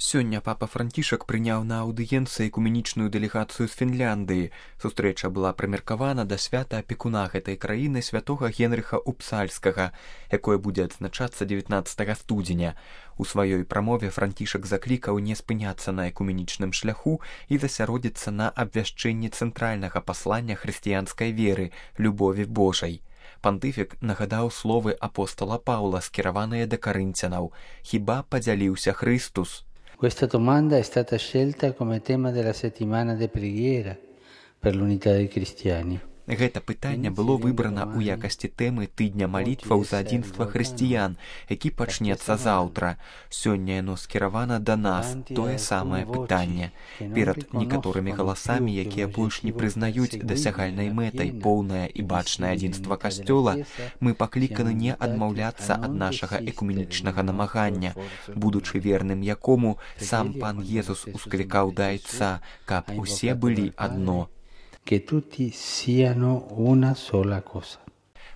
Сёння папа Францішак прыняў на аўдыенцыі экуменічную дэлегацыю з Фінляндыі. Сустрэча была прымеркавана да свята апекуна гэтай краіны святога Генрыха Упсальскага, якое будзе адзначацца 19 студзеня. У сваёй прамове Францішак заклікаў не спыняцца на экуменічным шляху і засяродзіцца на абвяшчэнні цэнтральнага паслання хрысціянскай веры – любові Божай. Пантыфік нагадаў словы апостола Паўла, скіраваныя да карынцянаў: «Хіба падзяліўся Христус?» Questa domanda è stata scelta come tema della settimana di preghiera per l'unità dei cristiani. Гэта пытанне было выбрана ў якасці тэмы тыдня малітваў за адзінства хрысціян, які пачнецца заўтра. Сёння яно скіравана да нас, тое самае пытанне. Перад некаторымі галасамі, якія больш не прызнаюць дасягальнай мэтай поўнае і бачнае адзінства касцёла, мы пакліканы не адмаўляцца ад нашага экуменічнага намагання, будучы верным якому сам пан Езус усклікаў да Айца, каб усе былі адно. Que tutti siano una sola cosa.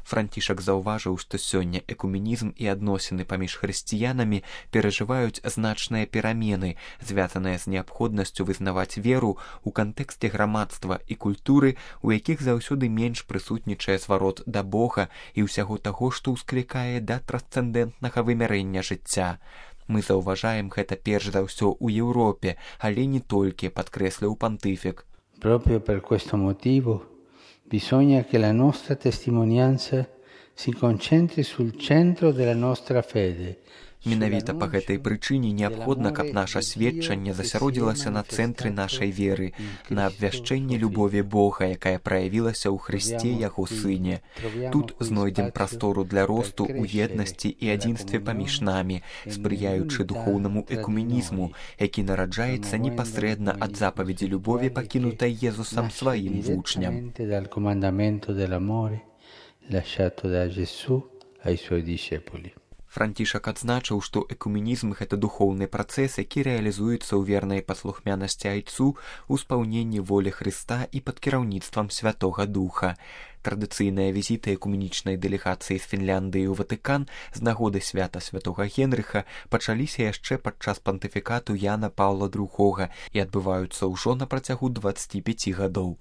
Францішак заўважыў, што сёння экуменізм і адносіны паміж хрысціянамі перажываюць значныя перамены, звязаныя з неабходнасцю вызнаваць веру ў кантэксце грамадства і культуры, у якіх заўсёды менш прысутнічае зварот да Бога і ўсяго таго, што ўсклікае да трансцэндэнтнага вымярэння жыцця. Мы заўважаем гэта перш за ўсё ў Еўропе, але не толькі, падкрэсліў пантыфік. Proprio per questo motivo bisogna che la nostra testimonianza si concentri sul centro della nostra fede. Менавіта па гэтай прычыне неабходна, каб наша сведчанне засяродзілася на цэнтры нашай веры, на абвяшчэнні любові Бога, якая праявілася ў Хрысце яго сыне. Тут знойдзем прастору для росту ў еднасці і адзінстве паміж намі, спрыяючы духоўнаму экуменізму, які нараджаецца непасрэдна ад запаведзі любові, пакінутай Езусам сваім вучням. Францішак адзначыў, што экуменізм – гэта духоўны працэс, які рэалізуецца ў вернай паслухмянасці Айцу, у спаўненні волі Хрыста і пад кіраўніцтвам Святога Духа. Традыцыйныя візіты экуменічнай дэлегацыі з Фінляндыі ў Ватыкан з нагоды свята святога Генрыха пачаліся яшчэ падчас пантыфікату Яна Паўла II і адбываюцца ўжо на працягу 25 гадоў.